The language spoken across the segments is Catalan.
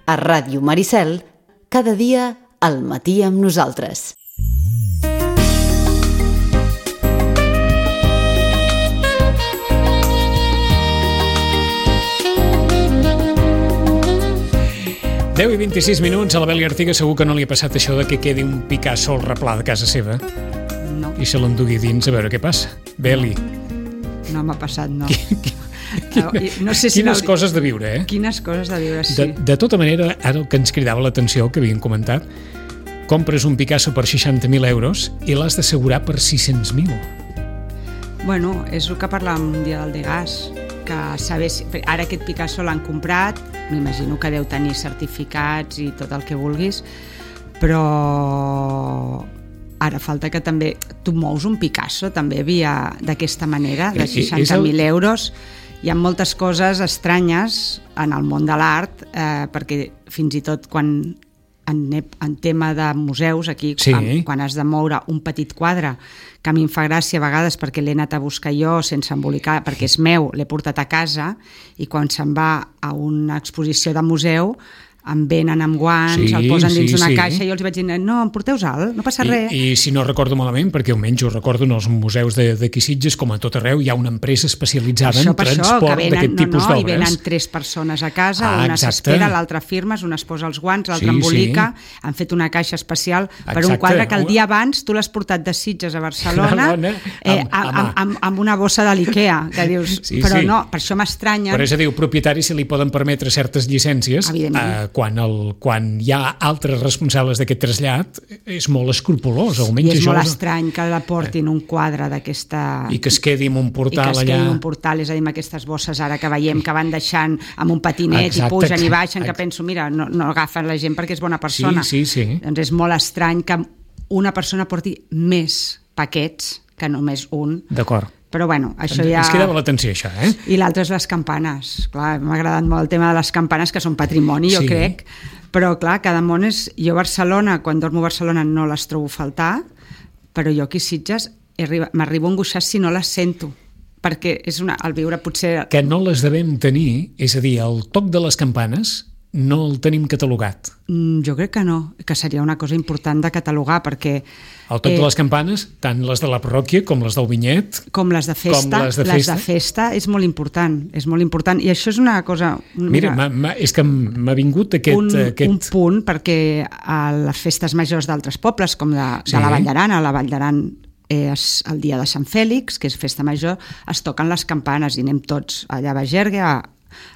a Ràdio Maricel, cada dia al matí amb nosaltres. Deu i 26 minuts, a la Beli Artiga segur que no li ha passat això de que quedi un Picasso al replà de casa seva. No. I se l'endugui dins a veure què passa. Beli. No m'ha passat, no. No sé si quines coses de viure, eh? Quines coses de viure, sí. De tota manera, ara el que ens cridava l'atenció, que havien comentat, compres un Picasso per 60.000 euros i l'has d'assegurar per 600.000. Bueno, és el que parlàvem un dia del Degas, que saber si... Ara aquest Picasso l'han comprat, m'imagino que deu tenir certificats i tot el que vulguis, però ara falta que també tu mous un Picasso també via d'aquesta manera, de 60.000 euros. Hi ha moltes coses estranyes en el món de l'art, perquè fins i tot quan en tema de museus aquí, sí, quan has de moure un petit quadre, que a mi em fa gràcia a vegades perquè l'he anat a buscar jo sense embolicar, perquè és meu, l'he portat a casa, i quan se'n va a una exposició de museu em venen amb guants, sí, el posen dins d'una caixa, i jo els vaig dir, no, em porteu alt, no passa res. I si no recordo malament, perquè almenys ho recordo en els museus d'aquí Sitges, com a tot arreu, hi ha una empresa especialitzada en transport d'aquest tipus d'obres. I venen 3 persones a casa, una s'espera, l'altra firmes, una es posa els guants, l'altra embolica, han fet una caixa especial per un quadre que el dia abans tu l'has portat de Sitges a Barcelona amb una bossa de l'Ikea, que dius, però no, per això m'estranya. Però és a dir, propietaris se li poden permetre certes llicències, quan hi ha altres responsables d'aquest trasllat, és molt escrupolós. I és molt estrany que la portin un quadre d'aquesta... I que es quedi en un portal allà. I que es quedi en un portal, és a dir, amb aquestes bosses ara que veiem que van deixant amb un patinet i pugen i baixen, que penso, mira, no agafen la gent perquè és bona persona. Sí. Doncs és molt estrany que una persona porti més paquets que només un. D'acord. Però bueno, això ja... Ens quedava l'atenció, això, eh? I l'altre és les campanes. Clar, m'ha agradat molt el tema de les campanes, que són patrimoni, jo crec. Però clar, cada món és... Jo a Barcelona, quan dormo a Barcelona, no les trobo a faltar, però jo aquí a Sitges m'arribo a angoixar si no les sento. Perquè és el viure potser... Que no les devem tenir, és a dir, el toc de les campanes no el tenim catalogat. Jo crec que no, que seria una cosa important de catalogar, perquè... El toc de les campanes, tant les de la parròquia com les del vinyet... Com les de festa, les de festa és molt important, I això és una cosa... Mira, és que m'ha vingut aquest... Un punt, perquè a les festes majors d'altres pobles, com de la Vall d'Aran, a la Vall d'Aran és el dia de Sant Fèlix, que és festa major, es toquen les campanes i anem tots allà a Bagergue,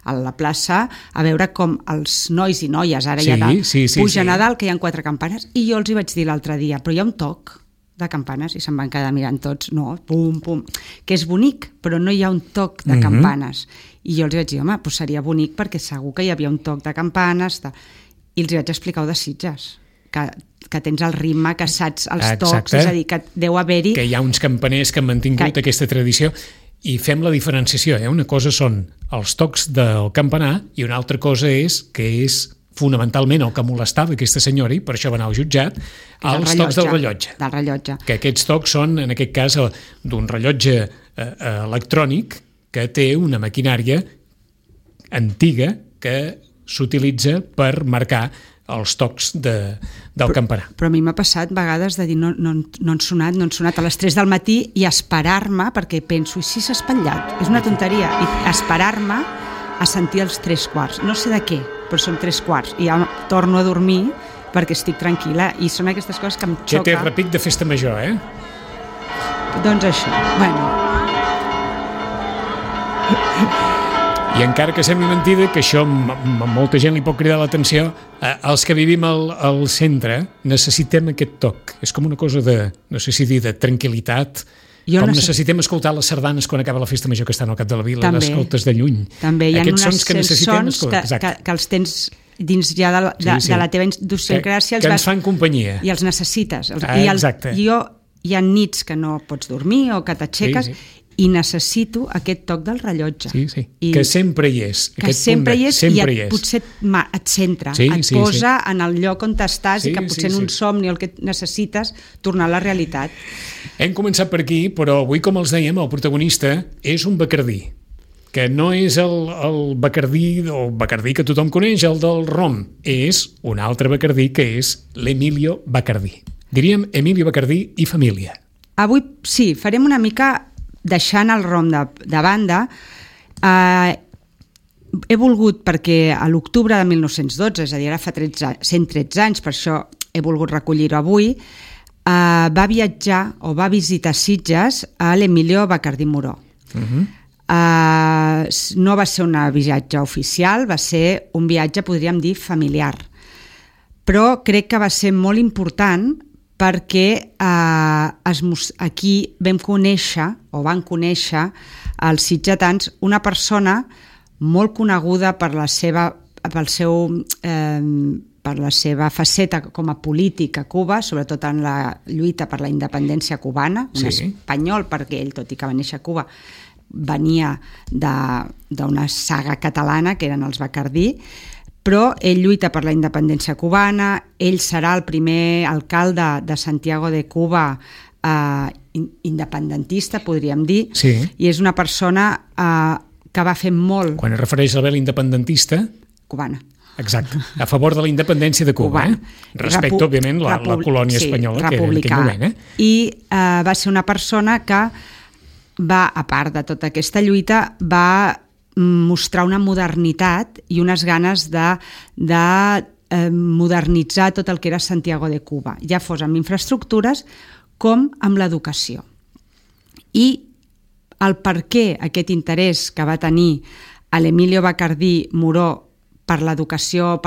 a la plaça, a veure com els nois i noies ara ja pugen a dalt, que hi ha 4 campanes, i jo els hi vaig dir l'altre dia, però hi ha un toc de campanes, i se'n van quedar mirant tots, no, pum, pum, que és bonic, però no hi ha un toc de campanes. I jo els vaig dir, home, doncs seria bonic perquè segur que hi havia un toc de campanes, i els vaig explicar de Sitges, que tens el ritme, que saps els tocs, és a dir, que deu haver-hi... Que hi ha uns campaners que han mantingut aquesta tradició. I fem la diferenciació, una cosa són els tocs del campanar i una altra cosa és que és fonamentalment el que molestava aquesta senyora, i per això va anar al jutjat, els tocs del rellotge. Del rellotge. Que aquests tocs són, en aquest cas, d'un rellotge electrònic que té una maquinària antiga que s'utilitza per marcar els tocs del campanar. Però a mi m'ha passat vegades de dir no han sonat a les 3 del matí i esperar-me, perquè penso, i si s'ha espatllat? És una tonteria. I esperar-me a sentir els 3/4. No sé de què, però són 3/4. I ja torno a dormir perquè estic tranquil·la. I són aquestes coses que em xoca. Que té repic de festa major, eh? Doncs això, bueno... I encara que sembli mentida, que això molta gent li pot cridar l'atenció, els que vivim al centre necessitem aquest toc. És com una cosa de, no sé si dir, de tranquil·litat. Necessitem escoltar les sardanes quan acaba la festa major que estan al cap de la vila, les escoltes de lluny. També hi ha uns sons que els tens dins ja de la teva idiosincràsia. Que ens fan companyia. I els necessites. Exacte. Hi ha nits que no pots dormir o que t'aixeques... I necessito aquest toc del rellotge. Sí. Que sempre hi és. Que sempre hi és i potser et centra, et posa en el lloc on estàs i que potser en un somni el que necessites tornar a la realitat. Hem començat per aquí, però avui, com els dèiem, el protagonista és un bacardí. que no és el Bacardí o Bacardí que tothom coneix, el del rom, és un altre Bacardí que és l'Emilio Bacardí. Diríem Emilio Bacardí i família. Avui sí, farem una mica deixant el rom de banda. He volgut, perquè a l'octubre de 1912, és a dir, ara fa 113 anys, per això he volgut recollir-ho avui, va viatjar o va visitar Sitges a l'Emilio Bacardí Muró. No va ser un viatge oficial, va ser un viatge, podríem dir, familiar. Però crec que va ser molt important perquè aquí van conèixer els sitgetans una persona molt coneguda per la seva faceta com a polític a Cuba, sobretot en la lluita per la independència cubana, un espanyol, perquè ell, tot i que va néixer a Cuba, venia d'una saga catalana, que eren els Bacardí, però ell lluita per la independència cubana, ell serà el primer alcalde de Santiago de Cuba independentista, podríem dir, i és una persona que va fer molt... Quan es refereix a la vela independentista... Cubana. Exacte, a favor de la independència de Cuba, respecte, òbviament, la colònia espanyola que era en aquell moment. I va ser una persona que va, a part de tota aquesta lluita, va mostrar una modernitat i unes ganes de modernitzar tot el que era Santiago de Cuba, ja fos amb infraestructures com amb l'educació. I el per què aquest interès que va tenir a l'Emilio Bacardí Muró per l'educació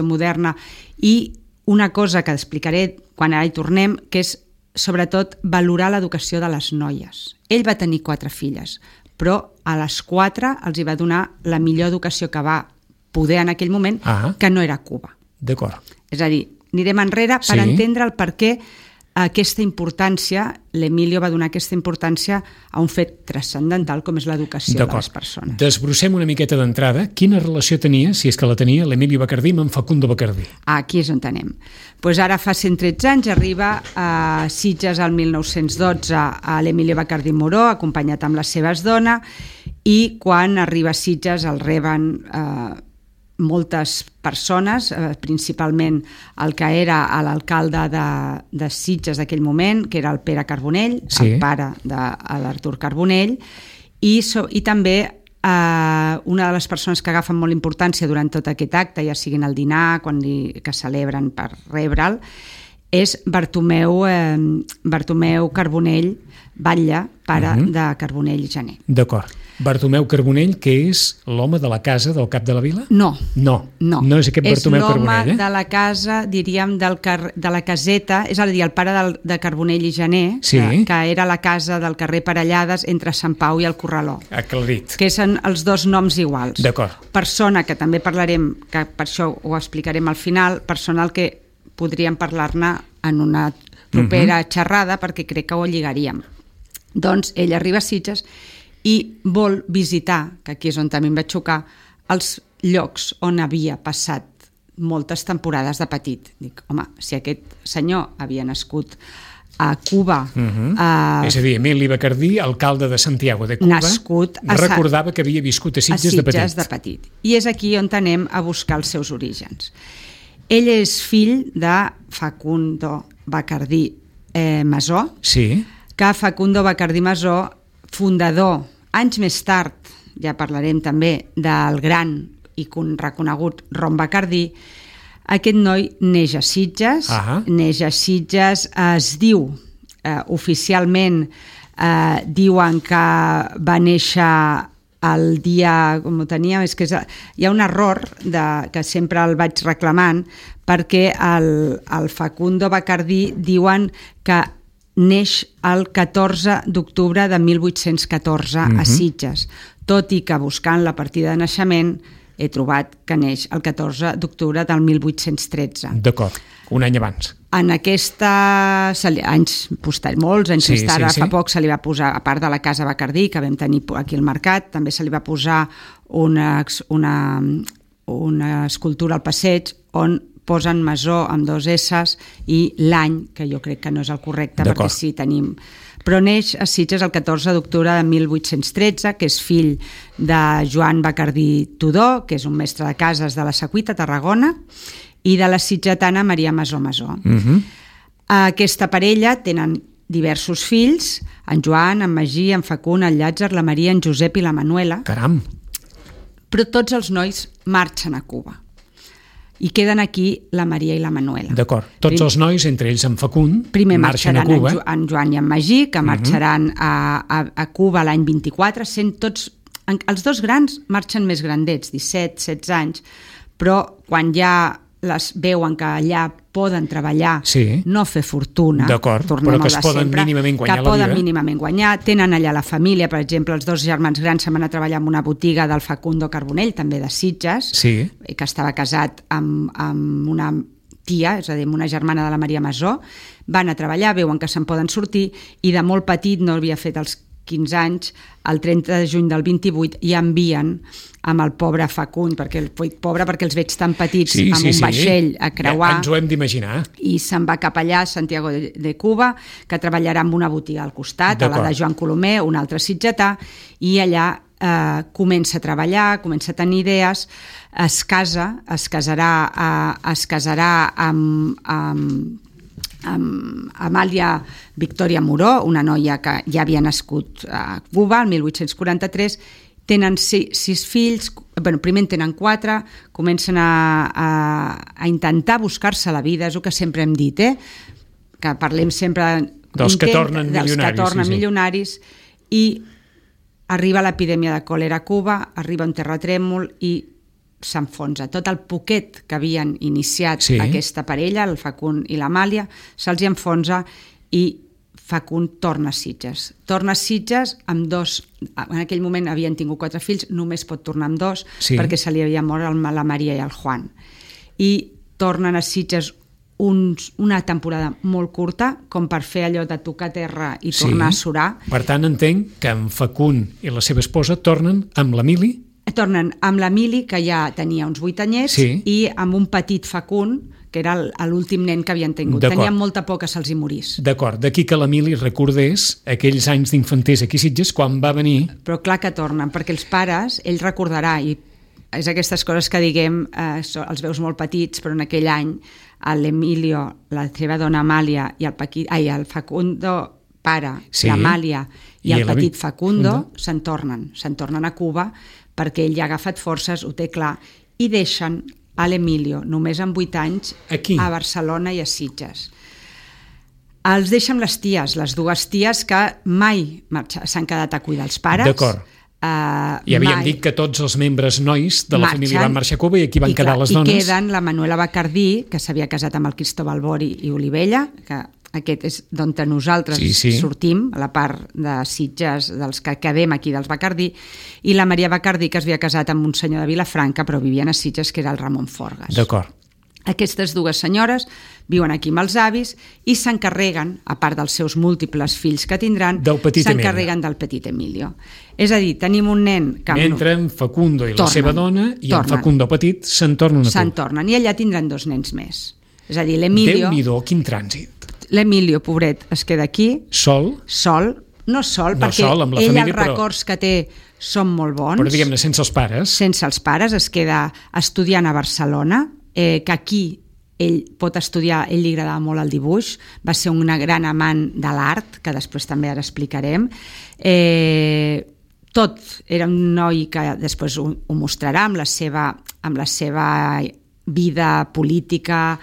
moderna, i una cosa que explicaré quan ara hi tornem, que és sobretot valorar l'educació de les noies. Ell va tenir 4 filles, però a les 4 els hi va donar la millor educació que va poder en aquell moment, que no era Cuba. D'acord. És a dir, anirem enrere per entendre el per què aquesta importància, l'Emilio va donar aquesta importància a un fet transcendental com és l'educació de les persones. Desbrossem una miqueta d'entrada. Quina relació tenia, si és que la tenia, l'Emilio Bacardí amb en Facundo Bacardí? Aquí és on anem. Ara fa 113 anys arriba a Sitges al 1912 a l'Emilio Bacardí Muró, acompanyat amb la seva dona, i quan arriba a Sitges el reben moltes persones, principalment el que era l'alcalde de Sitges d'aquell moment, que era el Pere Carbonell, el pare de l'Artur Carbonell, i també una de les persones que agafen molt importància durant tot aquest acte, ja siguin el dinar, que celebren per rebre'l, és Bartomeu Carbonell Batlle, pare de Carbonell i Janer. D'acord. Bartomeu Carbonell, que és l'home de la casa del cap de la vila? No. No és aquest Bartomeu Carbonell. És l'home de la casa, diríem, de la caseta, és a dir, el pare de Carbonell i Janer, que era la casa del carrer Parellades entre Sant Pau i el Corraló. Aclarit. Que són els dos noms iguals. D'acord. Persona, que també parlarem, que per això ho explicarem al final, persona al que podríem parlar-ne en una propera xerrada, perquè crec que ho lligaríem. Doncs ell arriba a Sitges i vol visitar, que aquí és on també em vaig xocar, els llocs on havia passat moltes temporades de petit. Dic, home, si aquest senyor havia nascut a Cuba... És a dir, Emili Bacardí, alcalde de Santiago de Cuba, recordava que havia viscut a Sitges de petit. I és aquí on anem a buscar els seus orígens. Ell és fill de Facundo Bacardí Masó, que Facundo Bacardí Masó, fundador, anys més tard, ja parlarem també del gran i reconegut Rom Bacardí, aquest noi neix a Sitges, es diu, oficialment diuen que va néixer el dia, com ho teníem, és que hi ha un error que sempre el vaig reclamant, perquè el Facundo Bacardí diuen que neix el 14 d'octubre de 1814 a Sitges, tot i que buscant la partida de naixement he trobat que neix el 14 d'octubre del 1813. D'acord, un any abans. En molts anys més tard, fa poc se li va posar, a part de la Casa Bacardí, que vam tenir aquí al mercat, també se li va posar una escultura al passeig on posen Masó amb 2 S's i l'any, que jo crec que no és el correcte, perquè si tenim però neix a Sitges el 14 d'octubre de 1813, que és fill de Joan Bacardí Tudó, que és un mestre de cases de la Secuita, Tarragona, i de la sitgetana Maria Masó Masó. Aquesta parella tenen diversos fills, en Joan, en Magí, en Facund, en Llàtzer, la Maria, en Josep i la Manuela. Caram! Però tots els nois marxen a Cuba. I queden aquí la Maria i la Manuela. D'acord. Tots els nois, entre ells en Facund, primer marxen a Cuba. En Joan i en Magí, que marxaran a Cuba l'any 24, sent tots... Els dos grans marxen més grandets, 17, 16 anys, però quan ja veuen que allà poden treballar, no fer fortuna, però que es poden mínimament guanyar la vida. Que poden mínimament guanyar, tenen allà la família, per exemple, els dos germans grans se'n van a treballar en una botiga del Facundo Carbonell, també de Sitges, que estava casat amb una tia, és a dir, amb una germana de la Maria Masó, van a treballar, veuen que se'n poden sortir, i de molt petit, no havia fet els 15 anys, el 30 de juny del 28 ja envien amb el pobre Facund, perquè els veig tan petits, amb un vaixell a creuar. Ja ens ho hem d'imaginar. I se'n va cap allà, a Santiago de Cuba, que treballarà en una botiga al costat, a la de Joan Colomer, un altre sitgetà, i allà comença a treballar, comença a tenir idees, es casarà amb Amàlia Victòria Moró, una noia que ja havia nascut a Cuba el 1843. Tenen 6 fills, primer en tenen 4, comencen a intentar buscar-se la vida, és el que sempre hem dit, que parlem sempre dels que tornen milionaris, i arriba l'epidèmia de còlera a Cuba, arriba un terratrèmol i s'enfonsa. Tot el poquet que havien iniciat aquesta parella, el Facund i l'Amàlia, se'ls enfonsa i Facund torna a Sitges. Torna a Sitges amb 2, en aquell moment havien tingut 4 fills, només pot tornar amb 2 perquè se li havia mort la Maria i el Juan. I tornen a Sitges una temporada molt curta, com per fer allò de tocar terra i tornar a surar. Per tant, entenc que en Facund i la seva esposa tornen amb l'Emili? Tornen amb l'Emili, que ja tenia uns 8 anyets, i amb un petit Facund, que era l'últim nen que havien tingut. Tenien molta por que se'ls hi morís. D'acord, d'aquí que l'Emili recordés aquells anys d'infantesa aquí a Sitges quan va venir... Però clar que tornen, perquè els pares, ell recordarà, i és aquestes coses que diguem, els veus molt petits, però en aquell any l'Emilio, la seva dona Amàlia i el Facundo pare, l'Amàlia i el petit Facundo se'n tornen a Cuba perquè ell ja ha agafat forces, ho té clar, i deixen a l'Emilio, només amb 8 anys, a Barcelona i a Sitges. Els deixa amb les ties, les 2 ties que mai s'han quedat a cuidar els pares. D'acord. I havíem dit que tots els membres nois de la família van marxar a Cuba i aquí van quedar les dones. I queden la Manuela Bacardí, que s'havia casat amb el Cristóbal Bori i Olivella, que aquest és d'on nosaltres sortim, a la part de Sitges, dels que quedem aquí, dels Bacardí, i la Maria Bacardí, que es havia casat amb un senyor de Vilafranca, però vivien a Sitges, que era el Ramon Forgas. D'acord. Aquestes 2 senyores viuen aquí amb els avis i s'encarreguen, a part dels seus múltiples fills que tindran, s'encarreguen del petit Emilio. És a dir, tenim un nen que... Mentre en Facundo i la seva dona i en Facundo petit se'n tornen a Cuba. Se'n tornen, i allà tindran 2 nens més. És a dir, l'Emilio... Déu-n'hi-do, quin trànsit. L'Emilio, pobret, es queda aquí... Sol, perquè ell els records que té són molt bons. Però diguem-ne, sense els pares. Sense els pares, es queda estudiant a Barcelona, que aquí ell pot estudiar, ell li agradava molt el dibuix, va ser un gran amant de l'art, que després també ara explicarem. Tot era un noi que després ho mostrarà amb la seva vida política,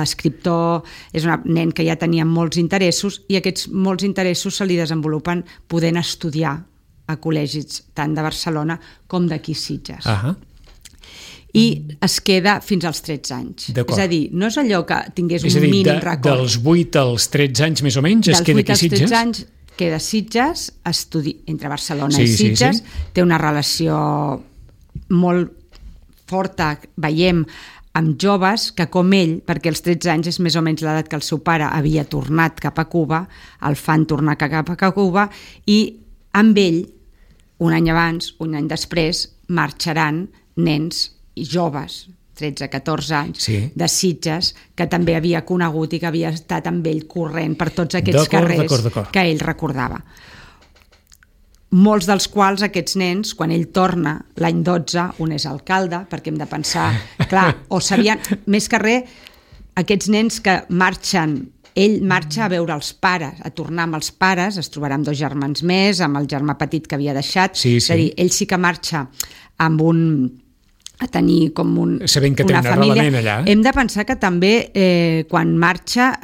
escriptor, és un nen que ja tenia molts interessos i aquests molts interessos se li desenvolupen podent estudiar a col·legis tant de Barcelona com d'aquí Sitges. I es queda fins als 13 anys. És a dir, no és allò que tingués un mínim record. Dels 8 als 13 anys més o menys es queda aquí a Sitges? Dels 8 als 13 anys queda a Sitges, entre Barcelona i Sitges, té una relació molt forta, veiem, amb joves que com ell, perquè als 13 anys és més o menys l'edat que el seu pare havia tornat cap a Cuba, el fan tornar cap a Cuba, i amb ell, un any abans, un any després, marxaran nens i joves, 13-14 anys, de Sitges, que també havia conegut i que havia estat amb ell corrent per tots aquests carrers que ell recordava. Molts dels quals aquests nens, quan ell torna l'any 12, un és alcalde, perquè hem de pensar, clar, o sabien, més que res, aquests nens que marxen, ell marxa a veure els pares, a tornar amb els pares, es trobarà amb 2 germans més, amb el germà petit que havia deixat, és a dir, ell sí que marxa amb a tenir com sabent que té un arrelament allà. Hem de pensar que també quan marxa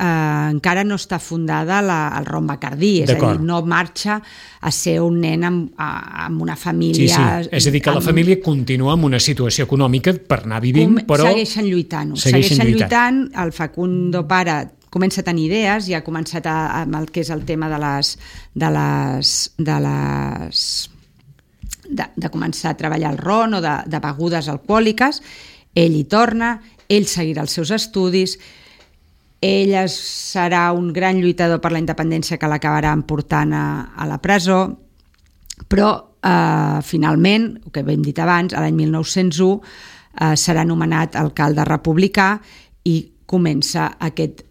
encara no està fundada el Ron Bacardí, és a dir, no marxa a ser un nen amb una família... És a dir, que la família continua amb una situació econòmica per anar vivint, però... Segueixen lluitant, el Facundo pare comença a tenir idees i ha començat amb el que és el tema de començar a treballar el ron o de begudes alcohòliques. Ell hi torna, ell seguirà els seus estudis, ell serà un gran lluitador per la independència que l'acabarà portant a la presó, però finalment, el que hem dit abans, l'any 1901 serà nomenat alcalde republicà i comença aquest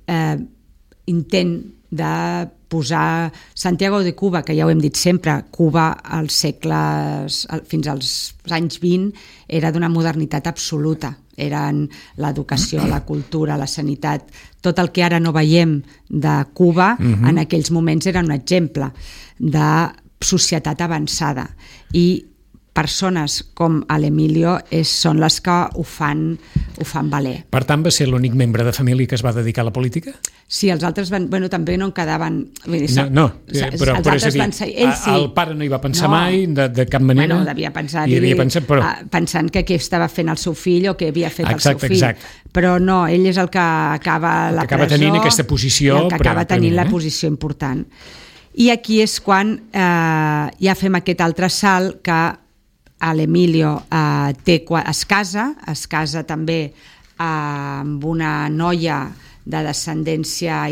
intent de posar Santiago de Cuba, que ja ho hem dit sempre, Cuba als segles, fins als anys 20, era d'una modernitat absoluta. Eren l'educació, la cultura, la sanitat, tot el que ara no veiem de Cuba, en aquells moments era un exemple de societat avançada. I persones com l'Emilio són les que ho fan valer. Per tant, va ser l'únic membre de família que es va dedicar a la política? Sí, els altres també no en quedaven... Però és a dir, el pare no hi va pensar mai, de cap manera? Devia pensar-hi, pensant que què estava fent el seu fill o què havia fet el seu fill. Però no, ell és el que acaba la presó... Acaba tenint aquesta posició... I el que acaba tenint la posició important. I aquí és quan ja fem aquest altre salt que l'Emilio es casa també amb una noia de descendència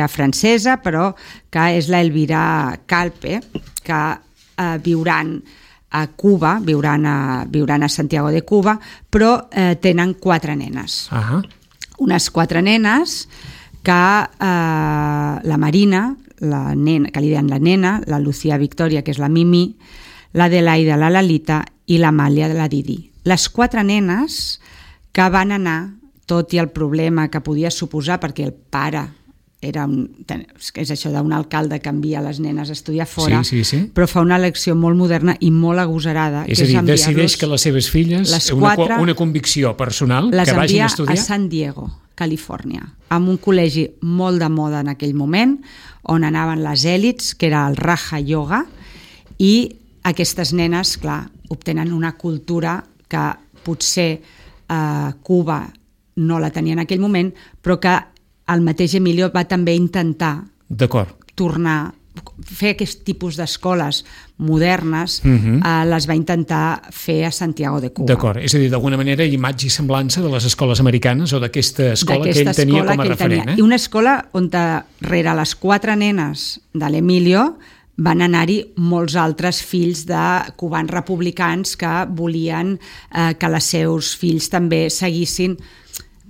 francesa, però que és l'Elvira Calpe, que viuran a Cuba, viuran a Santiago de Cuba, però tenen 4 nenes. Unes 4 nenes que la Marina, la nena, que li diuen la nena, la Lucía Victoria, que és la Mimi, la Adelaida, la Lalita i l'Amàlia, la Didi. Les 4 nenes que van anar, tot i el problema que podia suposar, perquè el pare és això d'un alcalde que envia les nenes a estudiar fora, però fa una elecció molt moderna i molt agosarada. És a dir, decideix que les seves filles, una convicció personal, que vagin a estudiar... Les envia a San Diego, Califòrnia, amb un col·legi molt de moda en aquell moment, on anaven les èlits, que era el Raja Yoga, i aquestes nenes, clar, obtenen una cultura que potser Cuba no la tenia en aquell moment, però que el mateix Emilio va també intentar tornar, fer aquest tipus d'escoles modernes, les va intentar fer a Santiago de Cuba. D'acord, és a dir, d'alguna manera imatge i semblança de les escoles americanes o d'aquesta escola que ell tenia com a referent. I una escola on darrere les 4 nenes de l'Emilio van anar-hi molts altres fills de cubans republicans que volien que els seus fills també seguissin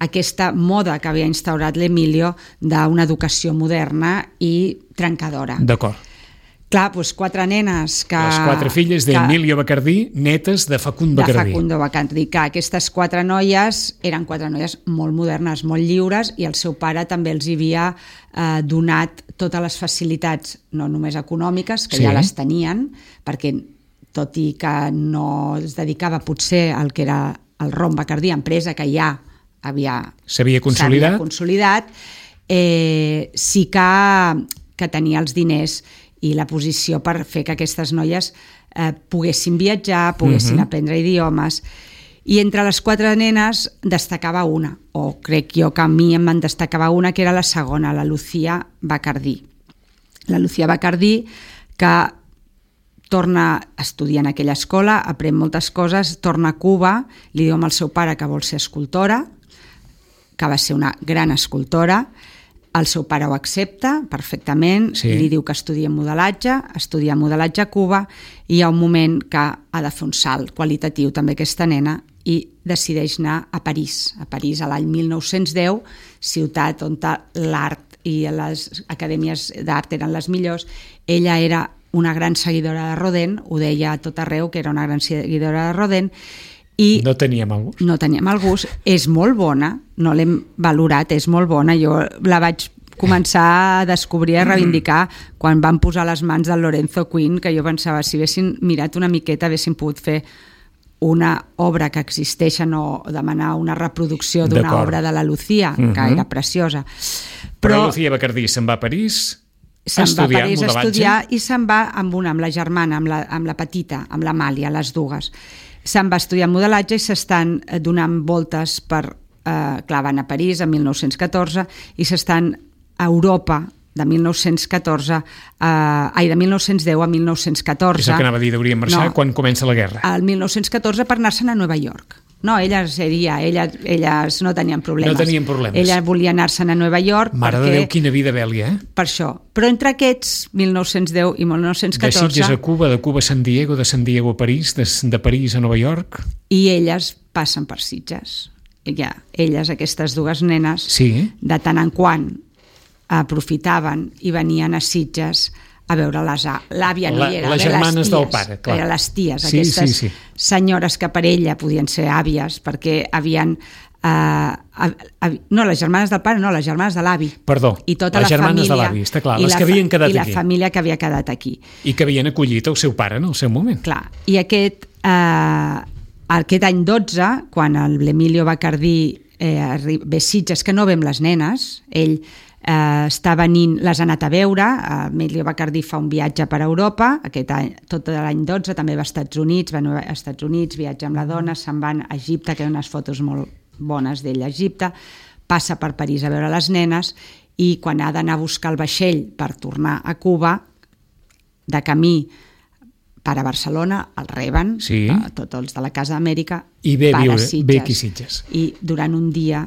aquesta moda que havia instaurat l'Emilio d'una educació moderna i trencadora. D'acord. Clar, doncs 4 nenes que... Les 4 filles d'Emilio Bacardí, netes de Facundo Bacardí. De Facundo Bacardí, que aquestes 4 noies eren 4 noies molt modernes, molt lliures, i el seu pare també els havia donat totes les facilitats, no només econòmiques, que ja les tenien, perquè tot i que no es dedicava potser al que era el Ron Bacardí, empresa que ja s'havia consolidat, sí que tenia els diners i la posició per fer que aquestes noies poguessin viatjar, poguessin aprendre idiomes. I entre les 4 nenes destacava una, o crec jo que a mi em destacava una, que era la segona, la Lucía Bacardí. La Lucía Bacardí, que torna a estudiar en aquella escola, aprèn moltes coses, torna a Cuba, li diu al seu pare que vol ser escultora, que va ser una gran escultora. El seu pare ho accepta perfectament, li diu que estudia modelatge a Cuba, i hi ha un moment que ha de fer un salt qualitatiu també aquesta nena i decideix anar a París. A París, a l'any 1910, ciutat on l'art i les acadèmies d'art eren les millors. Ella era una gran seguidora de Rodin, ho deia a tot arreu, que era una gran seguidora de Rodin, i no tenia mal gust. No tenia mal gust. És molt bona, no l'hem valorat, és molt bona. Jo la vaig començar a descobrir, a reivindicar quan van posar les mans del Lorenzo Quinn, que jo pensava, si haguessin mirat una miqueta haguessin pogut fer una obra que existeix, no demanar una reproducció d'una obra de la Lucía, que era preciosa. Però Lucía Bacardí se'n va a París a estudiar modelatge. I se'n va amb la germana, amb la petita, amb l'Amàlia, les dues. Se'n va estudiar modelatge i s'estan donant voltes per... clar, van a París en 1914 i s'estan a Europa de 1914 de 1910 a 1914. És el que anava a dir, deurien marxar quan comença la guerra. El 1914 per anar-se'n a Nova York. No, elles no tenien problemes. No tenien problemes. Ella volia anar-se'n a Nova York Mare de Déu, quina vida bèlia, Per això. Però entre aquests, 1910 i 1914... De Sitges a Cuba, de Cuba a San Diego, de San Diego a París, de París a Nova York... I elles passen per Sitges. Elles, aquestes dues nenes, de tant en quant aprofitaven i venien a Sitges a veure l'àvia, no hi era, les germanes del pare, clar. Eren les ties, aquestes senyores que per ella podien ser àvies, perquè havien... no, les germanes del pare, no, les germanes de l'avi. Perdó, i tota les germanes de l'avi, està clar, les que havien quedat aquí. I la família que havia quedat aquí. I que havien acollit el seu pare en el seu moment. Clar, i aquest any 12, quan l'Emilio Bacardí ve Sitges, que no vem les nenes, ell està venint, les ha anat a veure, Emilio Bacardí fa un viatge per Europa, aquest any, tot l'any 12, també va als Estats Units, viatja amb la dona, se'n van a Egipte, que hi ha unes fotos molt bones d'ell a Egipte, passa per París a veure les nenes i quan ha d'anar a buscar el vaixell per tornar a Cuba, de camí per a Barcelona, el reben, tots els de la Casa d'Amèrica, i ve aquí Sitges. I durant un dia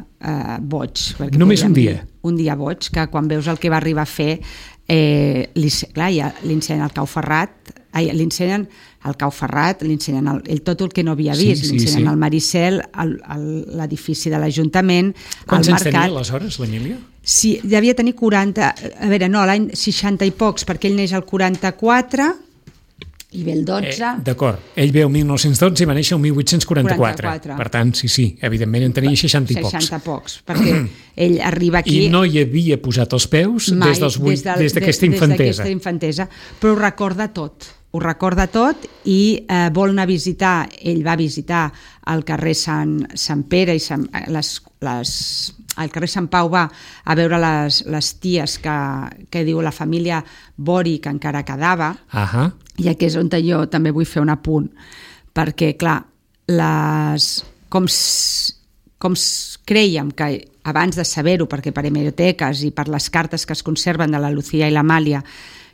boig. Només un dia? Un dia boig, que quan veus el que va arribar a fer, li ensenyen el Cau Ferrat, li ensenyen tot el que no havia vist, li ensenyen el Maricel, l'edifici de l'Ajuntament, Quants anys tenia aleshores, l'Emília? Sí, devia tenir 40, a veure, no, l'any 60 i pocs, perquè ell neix al 44, i ve el 12... D'acord, ell ve el 1912 i va néixer el 1844. Per tant, sí, evidentment en tenia 60 i pocs. 60 pocs, perquè ell arriba aquí... I no hi havia posat els peus des d'aquesta infantesa. Però ho recorda tot i vol anar a visitar, ell va visitar el carrer Sant Pere i al carrer Sant Pau, va a veure les ties que diu la família Bori, que encara quedava, i aquí és on jo també vull fer un apunt, perquè, clar, com crèiem que abans de saber-ho, perquè per hemeroteques i per les cartes que es conserven de la Lucía i l'Amàlia,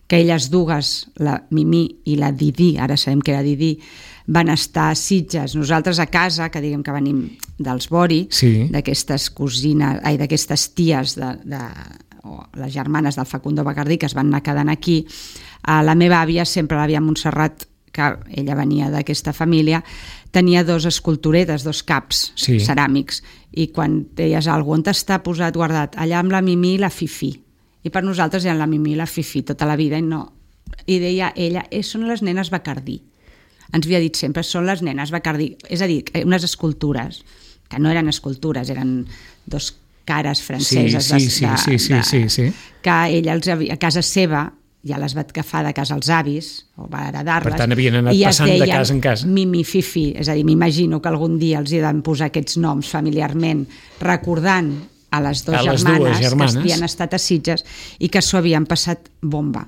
que elles dues, la Mimí i la Didí, ara sabem que era Didí, van estar a Sitges, nosaltres a casa, que diguem que venim dels Bori, d'aquestes cosines, d'aquestes ties, les germanes del Facundo Bacardí, que es van anar quedant aquí. La meva àvia, sempre l'àvia Montserrat, que ella venia d'aquesta família, tenia dos esculturetes, dos caps ceràmics, i quan deies alguna cosa, on t'està posat guardat? Allà amb la Mimí i la Fifi. I per nosaltres eren la Mimí i la Fifi tota la vida, i deia ella, són les nenes Bacardí. Ens havia dit sempre, són les nenes Bacardí. És a dir, unes escultures, que no eren escultures, eren dos cares franceses que ella a casa seva ja les va agafar de casa als avis o va heredar-les. Per tant, havien anat passant de casa en casa. Mimi, Fifi, és a dir, m'imagino que algun dia els hi van posar aquests noms familiarment, recordant a les dues germanes que havien estat a Sitges i que s'ho havien passat bomba,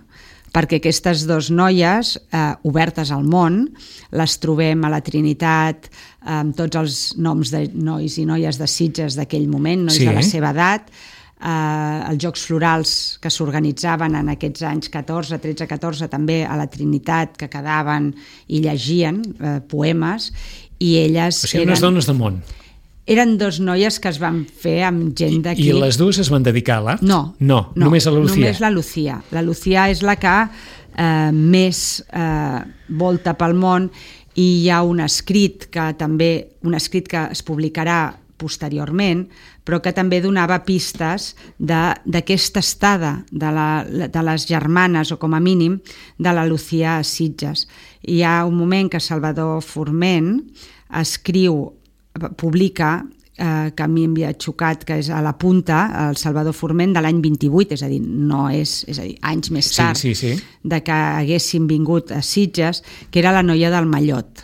perquè aquestes dues noies obertes al món les trobem a la Trinitat amb tots els noms de nois i noies de Sitges d'aquell moment, nois de la seva edat, els Jocs Florals que s'organitzaven en aquests anys 14, 13, 14 també a la Trinitat, que quedaven i llegien poemes, i elles eren unes dones de món. Eren dos noies que es van fer amb gent d'aquí. I les dues es van dedicar a l'art? No, només a la Lucía. Només la Lucía. La Lucía és la que més volta pel món. i hi ha un escrit que es publicarà posteriorment, però que també donava pistes d'aquesta estada de les germanes, o com a mínim, de la Lucía a Sitges. Hi ha un moment que Salvador Forment publica, que a mi m'havia xocat, que és a la punta, el Salvador Forment de l'any 28, és a dir, anys més tard de que haguessin vingut a Sitges, que era la noia del Mallot.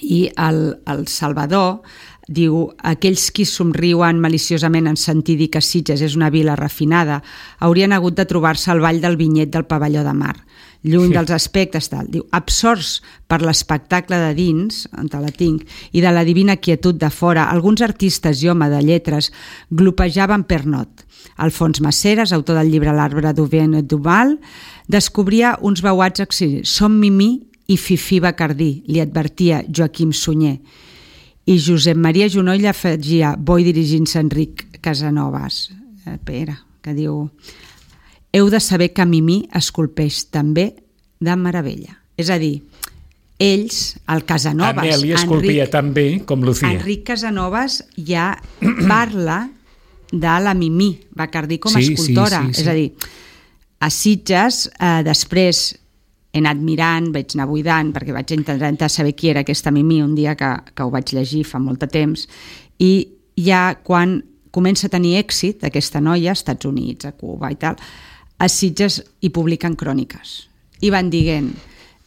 I el Salvador diu: aquells qui somriuen maliciosament en sentir dir que Sitges és una vila refinada haurien hagut de trobar-se al ball del vinyet del pavelló de mar, lluny dels aspectes tal. Diu: absorts per l'espectacle de dins, on la tinc, i de la divina quietud de fora, alguns artistes i home de lletres glopejaven per not. Alfons Maceres, autor del llibre L'arbre d'Auvin et Duval, descobria uns veuats exiliats. Som Mimí i Fifí Bacardí, li advertia Joaquim Sunyer. I Josep Maria Junoll afegia, boi dirigint-se a Enric Casanovas, Pere, que diu: heu de saber que Mimí esculpeix també de meravella. És a dir, ells, el Casanovas... Amèlia esculpia tan bé com Lucía. Enric Casanovas ja parla de la Mimí Bacardí com a escultora. Sí. És a dir, a Sitges, després he anat mirant, vaig anar buidant, perquè vaig intentar saber qui era aquesta Mimí un dia que ho vaig llegir fa molt de temps, i ja quan comença a tenir èxit aquesta noia, als Estats Units, a Cuba i tal, a Sitges hi publiquen cròniques. I van dient: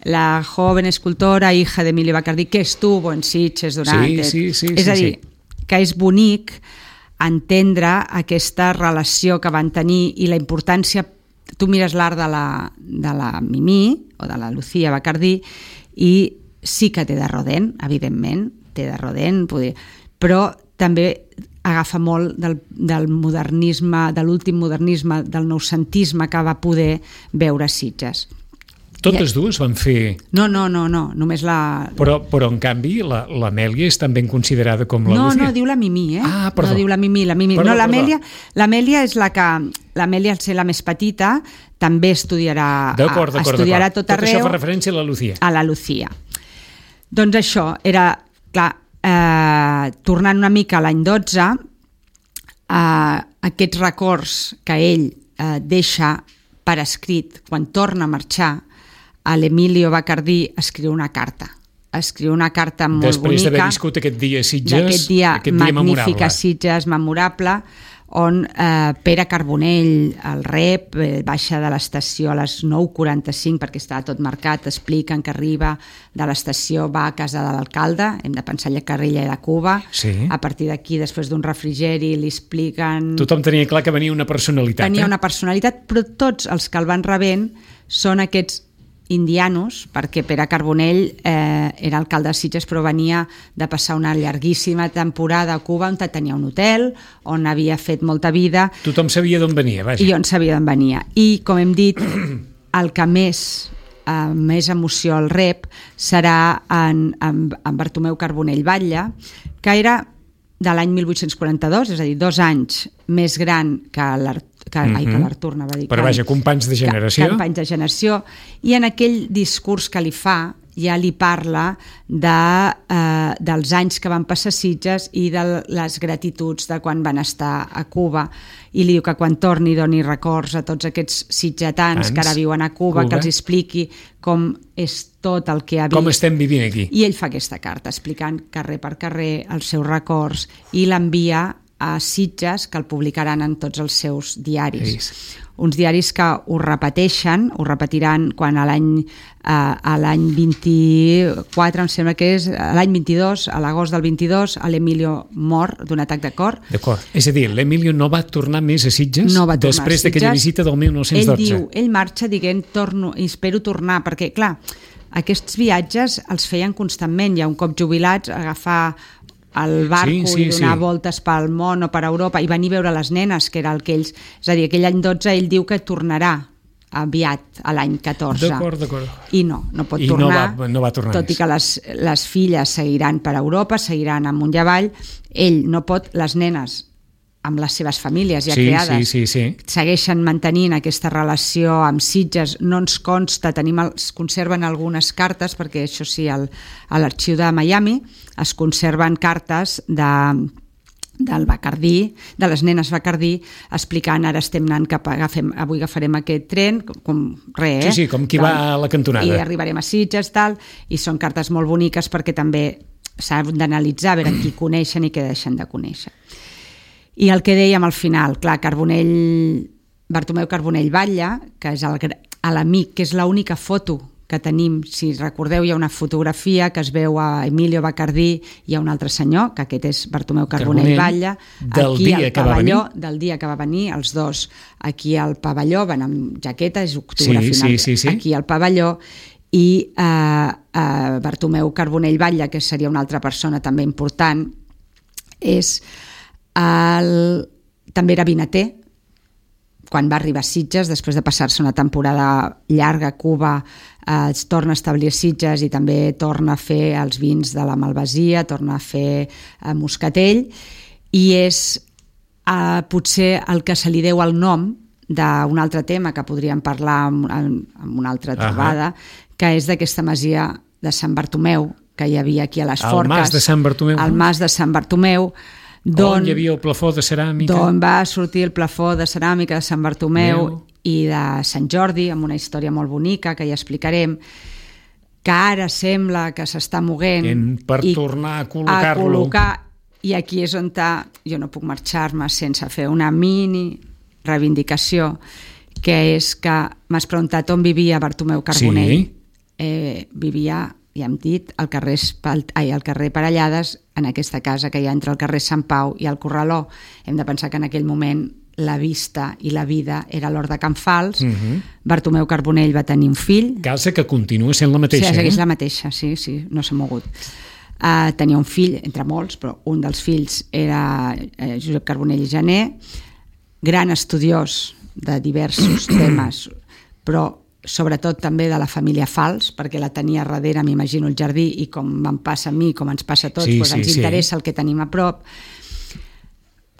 la joven escultora, hija de Emilio Bacardí, que estuvo en Sitges durant... És a dir, que és bonic entendre aquesta relació que van tenir i la importància. Tu mires l'art de la Mimí o de la Lucía Bacardí i sí que té de rodent, evidentment, té de rodent, però també agafa molt del modernisme, de l'últim modernisme, del noucentisme que va poder veure Sitges. Totes dues van fer... No, només la... Però en canvi l'Amèlia és tan ben considerada com la Lucía. No, diu la Mimí, perdó. No diu la Mimí. Perdó. L'Amèlia és la que... L'Amèlia, al ser la més petita, també estudiarà tot arreu. Tot això fa referència a la Lucía. A la Lucía. Doncs això, era... Clar, tornant una mica a l'any 12, aquests records que ell deixa per escrit quan torna a marxar, a l'Emilio Bacardí escriu una carta molt després bonica. Després d'haver viscut aquest dia a Sitges, aquest dia magnífic a Sitges, memorable, on Pere Carbonell, el rep, baixa de l'estació a les 9:45 perquè estava tot marcat, expliquen que arriba de l'estació, va a casa de l'alcalde, hem de pensar que ella era de Cuba, a partir d'aquí, després d'un refrigeri, li expliquen... Tothom tenia clar que venia una personalitat. Tenia una personalitat, però tots els que el van rebent són aquests indianos, perquè Pere Carbonell era alcalde de Sitges, però venia de passar una llarguíssima temporada a Cuba, on tenia un hotel, on havia fet molta vida. Tothom sabia d'on venia, vaja. I on sabia d'on venia. I, com hem dit, el que més emoció el rep serà en Bartomeu Carbonell Batlle, que era de l'any 1842, és a dir, 2 anys més gran que l'Artur, anava a dir. Però vaja, companys de generació. Companys de generació. I en aquell discurs que li fa, ja li parla dels anys que van passar a Sitges i de les gratituds de quan van estar a Cuba. I li diu que quan torni doni records a tots aquests sitgetans que ara viuen a Cuba, que els expliqui com és tot el que ha vist. Com estem vivint aquí. I ell fa aquesta carta explicant carrer per carrer els seus records i l'envia a Sitges, que el publicaran en tots els seus diaris. Uns diaris que ho repetiran quan a l'any 24, em sembla que és l'any 22, a l'agost del 22, l'Emilio mor d'un atac de cor. D'acord, és a dir, l'Emilio no va tornar més a Sitges després d'aquella visita del 1912. Ell marxa dient, espero tornar, perquè clar, aquests viatges els feien constantment, ja un cop jubilats, agafar el barco i donar voltes pel món o per Europa i venir a veure les nenes, que era el que ells... És a dir, aquell any 12 ell diu que tornarà aviat, a l'any 14. D'acord. I no pot tornar. No va tornar tot i que les filles seguiran per Europa, seguiran amunt i avall. Ell no pot, les nenes amb les seves famílies ja creades, segueixen mantenint aquesta relació amb Sitges. No ens consta, es conserven algunes cartes, perquè això sí, a l'arxiu de Miami es conserven cartes del Bacardí, de les nenes Bacardí, explicant ara estem anant avui agafarem aquest tren, com res, Sí, com qui va a la cantonada. I arribarem a Sitges, tal, i són cartes molt boniques perquè també s'ha d'analitzar, a veure qui coneixen i què deixen de conèixer. I el que dèiem al final, clar, Bartomeu Carbonell Batlle, que és l'amic, que és l'única foto que tenim, si recordeu, hi ha una fotografia que es veu a Emilio Bacardí, hi ha un altre senyor, que aquest és Bartomeu Carbonell Batlle, del dia que va venir, els dos aquí al pavelló, van amb jaqueta, és octubre final, aquí al pavelló, i Bartomeu Carbonell Batlle, que seria una altra persona també important, també era vinater. Quan va arribar a Sitges, després de passar-se una temporada llarga a Cuba, es torna a establir a Sitges i també torna a fer els vins de la Malvasia, torna a fer moscatell, i és potser el que se li deu el nom d'un altre tema que podríem parlar en una altra trobada, que és d'aquesta masia de Sant Bartomeu, que hi havia aquí a les Forques. El Mas de Sant Bartomeu. El Mas de Sant Bartomeu, on hi havia el plafó de ceràmica. D'on va sortir el plafó de ceràmica de Sant Bartomeu i de Sant Jordi, amb una història molt bonica que ja explicarem, que ara sembla que s'està moguent per tornar a col·locar-lo. I aquí és on jo no puc marxar-me sense fer una mini reivindicació, que és que m'has preguntat on vivia Bartomeu Carbonell. Vivia, ja hem dit, al carrer Parellades, en aquesta casa que hi ha entre el carrer Sant Pau i el Corraló. Hem de pensar que en aquell moment la vista i la vida era l'Hort de Can Fals. Bartomeu Carbonell va tenir un fill. Casa que continua sent la mateixa. Sí, segueix la mateixa, sí, no s'ha mogut. Tenia un fill, entre molts, però un dels fills era Josep Carbonell i Janer, gran estudiós de diversos temes, però sobretot també de la família Fals, perquè la tenia darrere, m'imagino, el jardí, i com em passa a mi, com ens passa a tots, ens interessa el que tenim a prop.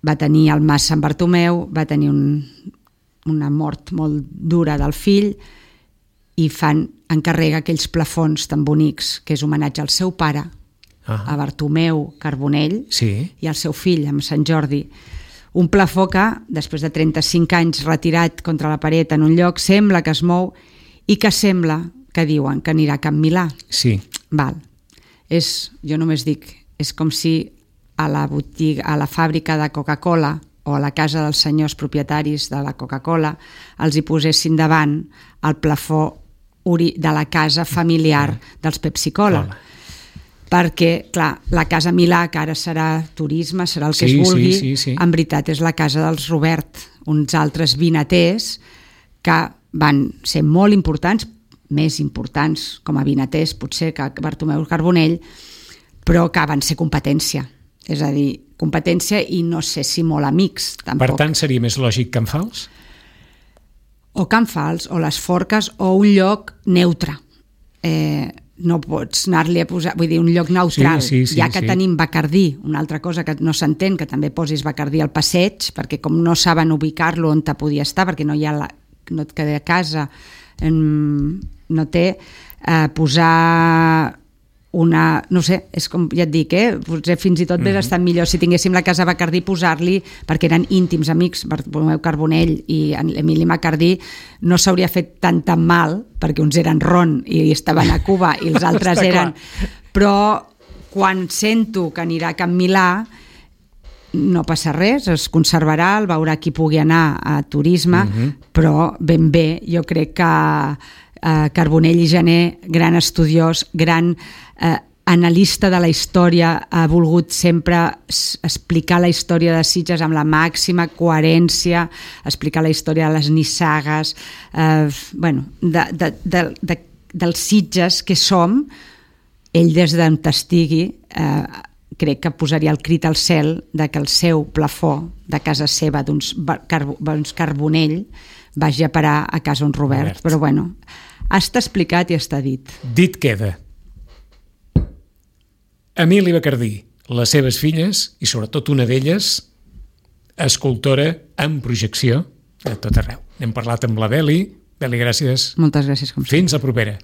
Va tenir el Mas Sant Bartomeu, va tenir una mort molt dura del fill, i encarrega aquells plafons tan bonics, que és homenatge al seu pare, a Bartomeu Carbonell, i al seu fill, amb Sant Jordi. Un plafó que, després de 35 anys retirat contra la paret en un lloc, sembla que es mou i que sembla que diuen que anirà a Can Milà. Sí. Val. Jo només dic, és com si a la botiga, a la fàbrica de Coca-Cola o a la casa dels senyors propietaris de la Coca-Cola els hi posessin davant el plafó de la casa familiar dels Pepsi-Cola. Perquè, clar, la Casa Milà, que ara serà turisme, serà el que es vulgui, en veritat és la casa dels Robert, uns altres vinaters que van ser molt importants, més importants com a vinaters potser que Bartomeu Carbonell, però que van ser competència. És a dir, competència i no sé si molt amics, tampoc. Per tant, seria més lògic Can Fals? O Can Fals, o les Forques, o un lloc neutre. No pots anar-li a posar, vull dir, un lloc neutral, ja que tenim Bacardí, una altra cosa que no s'entén, que també posis Bacardí al passeig, perquè com no saben ubicar-lo on te podia estar, perquè no et queda a casa, no té, posar una, no sé, és com ja et dic, potser fins i tot hauria estat millor si tinguéssim la casa Bacardí posar-li, perquè eren íntims amics, Bartomeu Carbonell i Emili Bacardí, no s'hauria fet tant mal, perquè uns eren ron i estaven a Cuba i els altres eren... Però quan sento que anirà a Can Milà no passa res, es conservarà, el veurà qui pugui anar a turisme, però ben bé, jo crec que Carbonell i Janer, gran estudiós, gran analista de la història, ha volgut sempre explicar la història de Sitges amb la màxima coherència, explicar la història de les nissagues, dels Sitges que som. Ell, des d'on estigui, crec que posaria el crit al cel de que el seu plafó de casa seva d'uns Carbonell vagi a parar a casa un Robert. Però bueno, està explicat i està dit. Dit queda. Emili Bacardí, les seves filles, i sobretot una d'elles, escultora en projecció a tot arreu. Hem parlat amb la Beli. Beli, gràcies. Moltes gràcies, com sempre. Fins a propera.